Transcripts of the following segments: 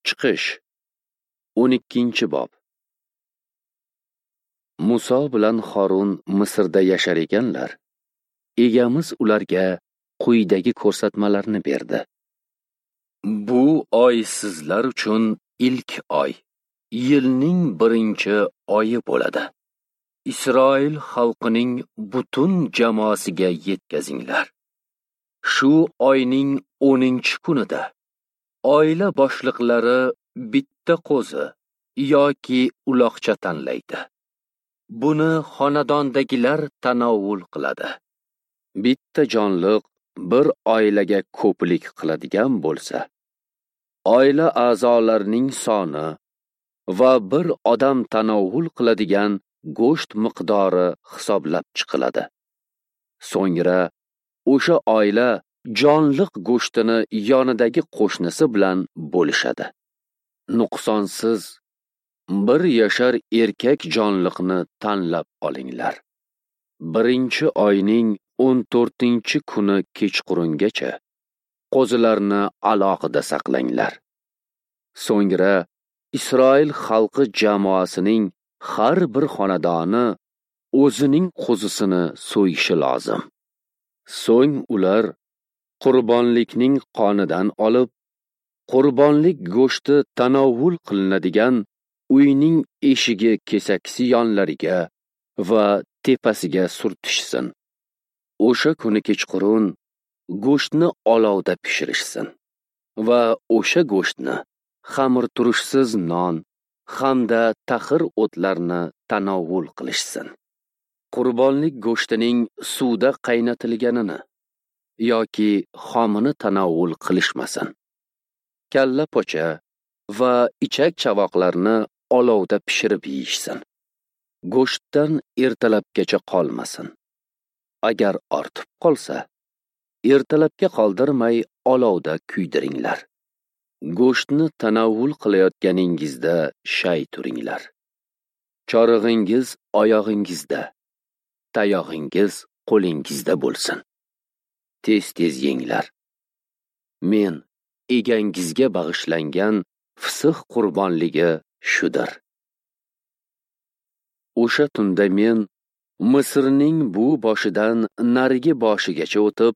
Chiqish 12-bob. Muso bilan Harun Misrda yashar ekanlar, Egamiz ularga quyidagi ko'rsatmalarni berdi. Bu oy sizlar uchun ilk oy, yilning birinchi oyi bo'ladi. Isroil xalqining butun jamoasiga yetkazinglar. Shu oyning 10-kunida oila boshliqlari bitta qo'zi yoki uloqcha tanlaydi. Buni xonadondagilar tanovul qiladi. Bitta jonliq bir oilaga ko'plik qiladigan bo'lsa, oila a'zolarining soni va bir odam tanovul qiladigan go'sht miqdori hisoblab chiqiladi. So'ngra o'sha oila jonliq go'shtini yonidagi qo'shnisi bilan bo'lishadi. Nuqsonsiz bir yashar erkak jonliqni tanlab olinglar. Birinchi oyning 14-kuni kechqurungacha qo'zilarni alohida saqlanglar. So'ngra Isroil xalqi jamoasining har bir xonadoni o'zining qo'zisini so'yishi lozim. So'ng ular qurbonlikning qonidan olib, qurbonlik go'shti tanovul qilinadigan uyning eshigi kesaksi yonlariga va tepasiga surtishsin. O'sha kuni kechqurun go'shtni olovda pishirishsin va o'sha go'shtni xamirturushsiz non hamda taxir o'tlarni tanovul qilishsin. Qurbonlik go'shtining suvda qaynatilganini yoki xomini tanovul qilishmasin. Kalla pocha va ichak chavoqlarni olovda pishirib yeyishsin. Go'shtdan ertalabgacha qolmasin. Agar ortib qolsa, ertalabga qoldirmay olovda kuydiringlar. Go'shtni tanovul qilayotganingizda shay turinglar. Chorig'ingiz oyog'ingizda, tayog'ingiz qo'lingizda bo'lsin. Tez-tez yenglar. Men egangizga bag'ishlangan fisih qurbonligi shudir. O'sha tunda men Misrning bu boshidan narigi boshigacha o'tib,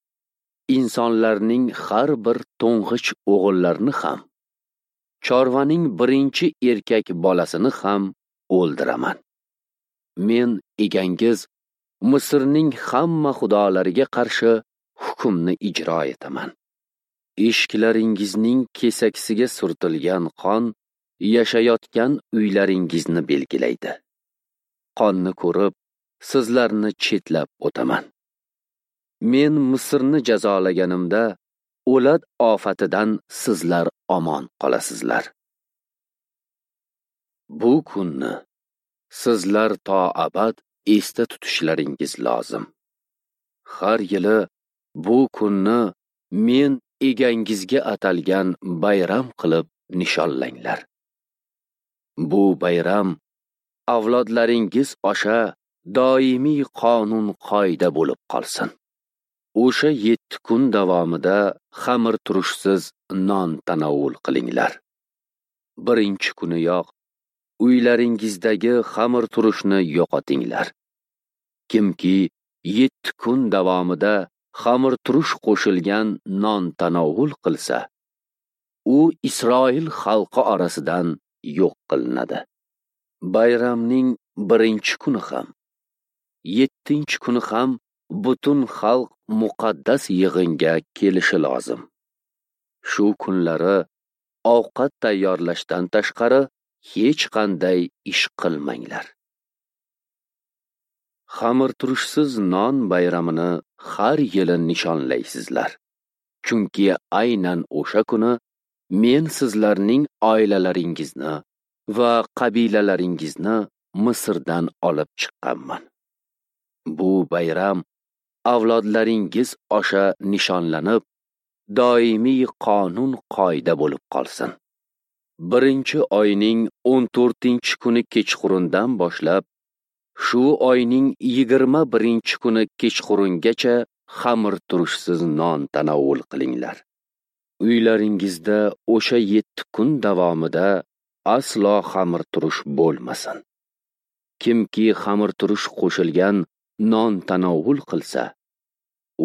insonlarning har bir to'ng'ich o'g'illarini ham, chorvaning birinchi erkak bolasini ham o'ldiraman. Men egangiz Misrning hamma xudolariga qarshi hukmni ijro etaman. Eshiklaringizning kesaksiga surtilgan qon yashayotgan uylaringizni belgilaydi. Qonni ko'rib, sizlarni chetlab o'taman. Men Misrni jazolaganimda o'lat ofatidan sizlar omon qolasizlar. Bu kunni sizlar to abad esda tutishlaringiz lozim. Har yili bu kunni men egangizga atalgan bayram qilib nishonlanglar. Bu bayram avlodlaringiz osha doimiy qonun qoida bo'lib qolsin. O'sha 7 kun davomida xamirturushsiz non tanovul qilinglar. Birinchi kuniyoq uylaringizdagi xamirturushni yo'qotinglar. Kimki 7 kun davomida xamirturush qo'shilgan non tanovul qilsa, u Isroil xalqi orasidan yo'q qilinadi. Bayramning birinchi kuni ham, 7-kuni ham butun xalq muqaddas yig'inga kelishi lozim. Shu kunlari ovqat tayyorlashdan tashqari hech qanday ish qilmanglar. Xamirturushsiz non bayramini har yili nishonlaysizlar. Chunki aynan o'sha kuni men sizlarning oilalaringizni va qabilalaringizni Misrdan olib chiqqanman. Bu bayram avlodlaringiz osha nishonlanib, doimiy qonun qoida bo'lib qolsin. Birinchi oyning 14-kuni kechqurundan boshlab shu oyning 21-kuni kechqurungacha xamirturushsiz non tanovul qilinglar. Uylaringizda o'sha 7 kun davomida aslo xamirturush bo'lmasin. Kimki xamirturush qo'shilgan non tanovul qilsa,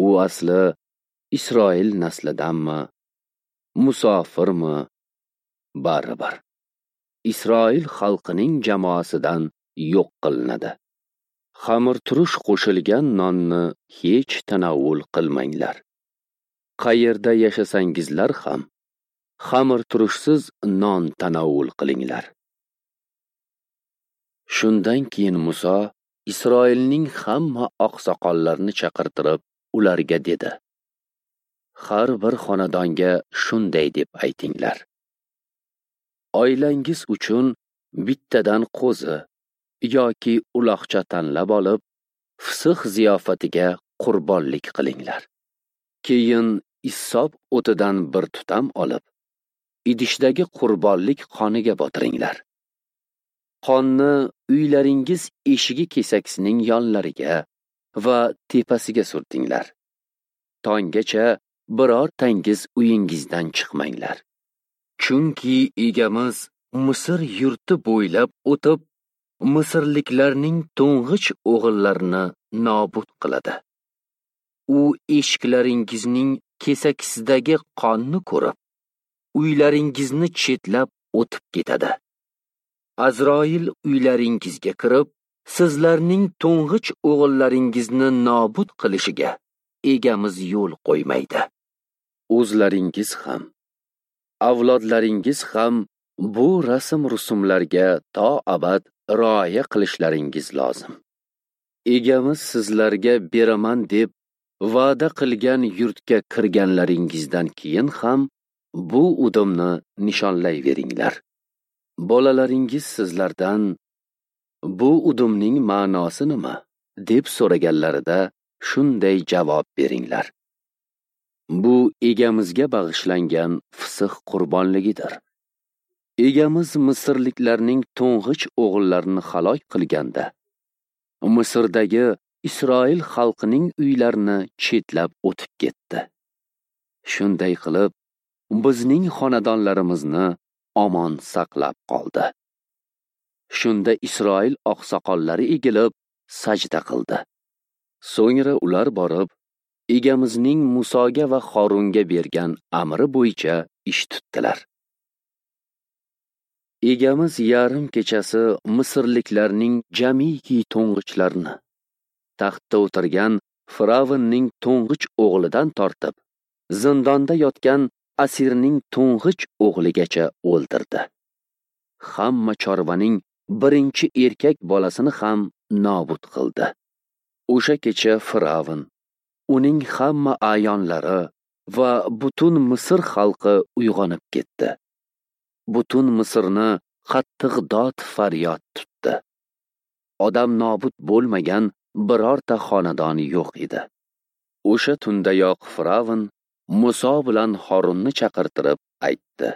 u asli Isroil naslidanmi, musofirmi, baribir Isroil xalqining jamoasidan yo'q qilinadi. Xamirturush qo'shilgan nonni hech tanovul qilmanglar. Qayerda yashasangizlar ham xamirturushsiz non tanovul qilinglar. Shundan keyin Muso Isroilning hamma oqsoqollarini chaqirtirib, ularga dedi: Har bir xonadonga shunday deb aytinglar: Oilangiz uchun bittadan qo'zi yoki uloqcha tanlab olib, Fisix ziyofatiga qurbonlik qilinglar. Keyin issob o'tidan bir tutam olib, idishdagi qurbonlik qoniga botiringlar. Qonni uylaringiz eshigi kesaksining yonlariga va tepasiga surtinglar. Tonggacha birortangiz uyingizdan chiqmanglar. Chunki egamiz Misr yurti bo'ylab o'tib, misrliklarning to'ng'ich o'g'illarini nobud qiladi. U eshiklaringizning kesakisidagi qonni ko'rib, uylaringizni chetlab o'tib ketadi. Azroil uylaringizga kirib, sizlarning to'ng'ich o'g'illaringizni nobud qilishiga egamiz yo'l qo'ymaydi. O'zlaringiz ham, avlodlaringiz ham bu rasm-rusumlarga to abad rioya qilishlaringiz lozim. Egamiz sizlarga beraman deb va'da qilgan yurtga kirganlaringizdan keyin ham bu udumni nishonlayveringlar. Bolalaringiz sizlardan bu udumning ma'nosi nima deb so'raganlarida shunday javob beringlar: Bu egamizga bag'ishlangan Fisix qurbonligidir. Egamiz misrliklarning to'ng'ich o'g'illarini halok qilganda, Misrdagi Isroil xalqining uylarini chetlab o'tib ketdi. Shunday qilib, bizning xonadonlarimizni omon saqlab qoldi. Shunda Isroil oqsoqollari egilib sajda qildi. So'ngra ular borib, egamizning Musoga va Xorunga bergan amri bo'yicha ish tutdilar. Egamiz yarim kechasi misrliklarning jamiki to'ng'ichlarini, taxtda o'tirgan Firavnning to'ng'ich o'g'lidan tortib, zindonda yotgan asirning to'ng'ich o'g'ligacha o'ldirdi. Hamma chorvaning birinchi erkak bolasini ham nobud qildi. O'sha kecha Firavn, uning hamma a'yonlari va butun Misr xalqi uyg'onib ketdi. Butun Misrni qattiq dod faryod tutdi. Odam nobud bo'lmagan birorta xonadon yo'q edi. O'sha tundayoq Firavn Muso bilan Horunni chaqirtirib aytdi: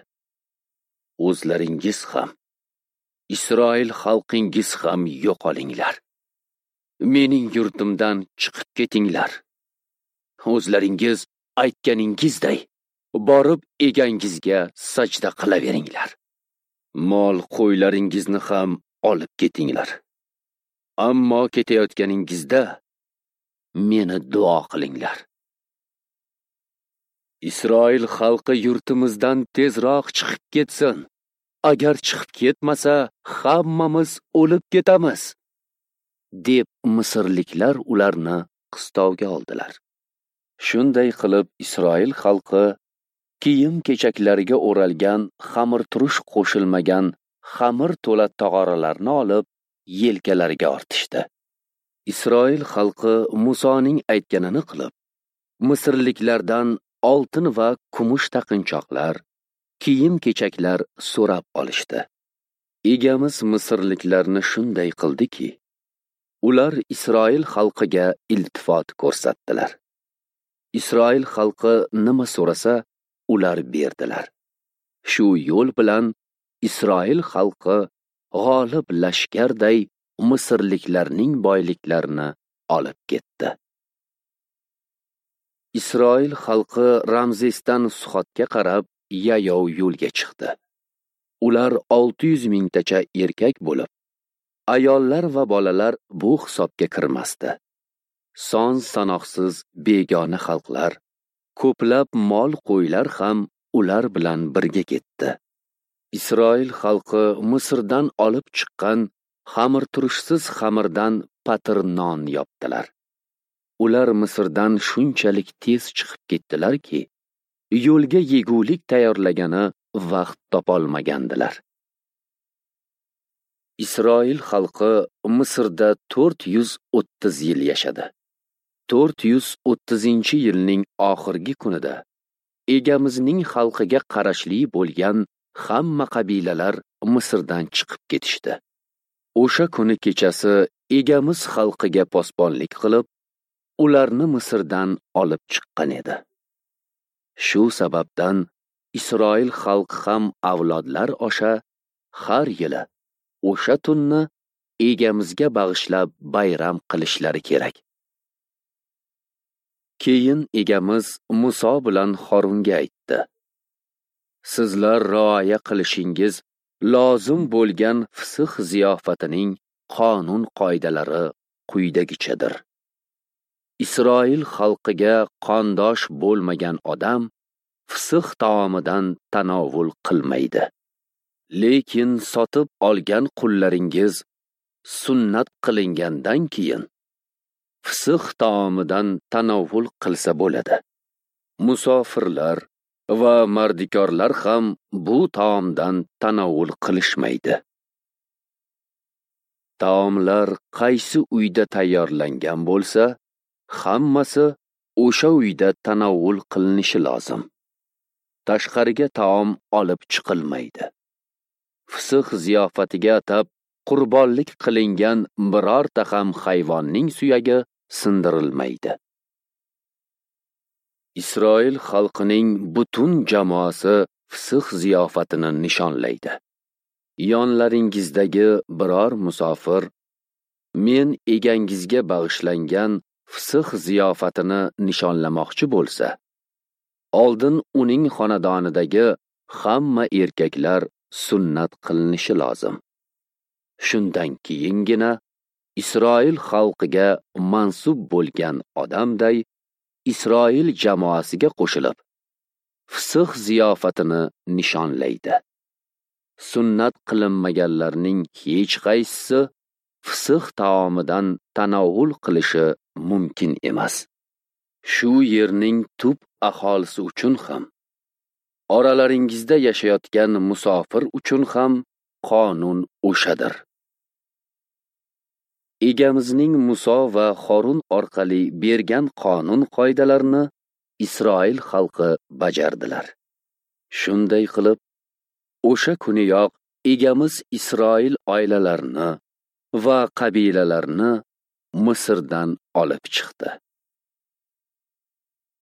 O'zlaringiz ham, Isroil xalqingiz ham yo'qolinglar. Mening yurtimdan chiqib ketinglar. O'zlaringiz aytganingizday borib egangizga sajda qilaveringlar. Mol qo'ylaringizni ham olib ketinglar. Ammo ketayotganingizda meni duo qilinglar. Isroil xalqi yurtimizdan tezroq chiqib ketsin. Agar chiqib ketmasa, hammamiz o'lib ketamiz, deb misrliklar ularni qistovga oldilar. Shunday qilib Isroil xalqi kiyim-kechaklariga o'ralgan xamirturush qo'shilmagan xamir to'la tog'oralarni olib yelkalariga ortishdi. Isroil xalqi Musoning aytganini qilib, misrliklardan oltin va kumush taqinchoqlar, kiyim-kechaklar so'rab olishdi. Egamiz misrliklarni shunday qildiki, ular Isroil xalqiga iltifot ko'rsatdilar. Isroil xalqi nima so'rasa, ular berdilar. Shu yo'l bilan Isroil xalqi g'olib lashkarday misrliklarning boyliklarini olib ketdi. Isroil xalqi Ramzesdan Suxotga qarab yayov yo'lga chiqdi. Ular 600 mingtacha erkak bo'lib, ayollar va bolalar bu hisobga kirmasdi. Son sanoqsiz begona xalqlar, ko'plab mol qo'ylar ham ular bilan birga ketdi. Isroil xalqi Misrdan olib chiqqan xamirturushsiz xamirdan patir non yopdilar. Ular Misrdan shunchalik tez chiqib ketdilarki, yo'lga yegulik tayyorlagani vaqt topolmagandilar. Isroil xalqi Misrda 430 yil yashadi. 430-yilning oxirgi kunida Egamizning xalqiga qarashli bo'lgan hamma qabilalar Misrdan chiqib ketishdi. O'sha kuni kechasi Egamiz xalqiga posbonlik qilib, ularni Misrdan olib chiqqan edi. Shu sababdan Isroil xalqi ham avlodlar osha har yili o'sha tunni Egamizga bag'ishlab bayram qilishlari kerak. Keyin Egamiz Muso bilan Xorunga aytdi: Sizlar rioya qilishingiz lozim bo'lgan Fisix ziyofatining qonun qoidalari quyidagichadir. Isroil xalqiga qondosh bo'lmagan odam Fisix taomidan tanovul qilmaydi. Lekin sotib olgan qullaringiz sunnat qilingandan keyin Fisix taomidan tanovul qilsa bo'ladi. Musofirlar va mardikorlar ham bu taomdan tanovul qilishmaydi. Taomlar qaysi uyda tayyorlangan bo'lsa, hammasi o'sha uyda tanovul qilinishi lozim. Tashqariga taom olib chiqilmaydi. Fisix ziyofatiga atab qurbonlik qilingan birorta ham hayvonning suyagi sindirilmaydi. Isroil xalqining butun jamoasi Fisix ziyofatini nishonlaydi. Yonlaringizdagi biror musofir men egangizga bag'ishlangan Fisix ziyofatini nishonlamoqchi bo'lsa, oldin uning xonadonidagi hamma erkaklar sunnat qilinishi lozim. Shundan keyingina Isroil xalqiga mansub bo'lgan odamday Isroil jamoasiga qo'shilib, Fisix ziyofatini nishonlaydi. Sunnat qilinmaganlarning hech qaysisi Fisix taomidan tanovul qilishi mumkin emas. Shu yerning tub aholisi uchun ham, oralaringizda yashayotgan musofir uchun ham qonun o'shadir. Egamizning Muso va Xorun orqali bergan qonun qoidalarini Isroil xalqi bajardilar. Shunday qilib, o'sha kuniyoq Egamiz Isroil oilalarini va qabilalarini Misrdan olib chiqdi.